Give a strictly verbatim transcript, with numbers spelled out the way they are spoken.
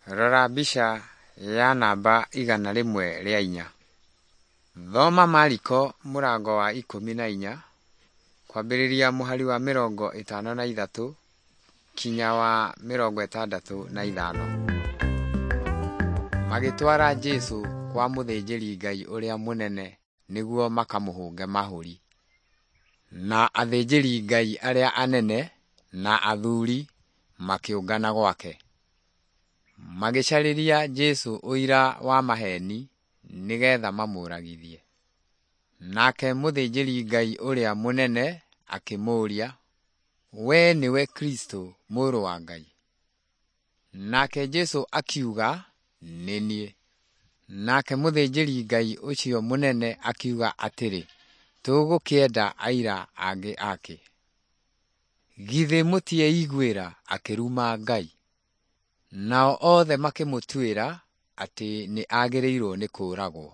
Rora mbica ya namba igana rĩmwe rĩa inya. Thoma Mariko mũrango wa ikũmi na inya kwambĩrĩria mũhari wa mĩrongo ĩtano na ithatũ kinya wa mĩrongo ĩtandatũ na ithano. Magĩtwara Jesũ kwa mũthĩnjĩri-Ngai ũrĩa mũnene nĩguo makamũhũnge mahũri. Na athĩnjĩri-Ngai arĩa anene na athuuri makĩũngana gwake. Magĩcarĩria Jesũ ũira wa maheeni nĩgeetha mamũũragithie. Nake mũthĩnjĩri-Ngai ũrĩa mũnene akĩmũũria, “Wee nĩwe Kristũ Mũrũ wa Ngai?” Nake Jesũ akiuga, “Nĩ niĩ.” Nake mũthĩnjĩri-Ngai ũcio mũnene akiuga atĩrĩ, “Tũgũkĩenda aira angĩ akĩ? Githĩ mũtieiguĩra akĩruma Ngai?” Nao othe makĩmũtuĩra atĩ nĩ agĩrĩirwo nĩ kũũragwo.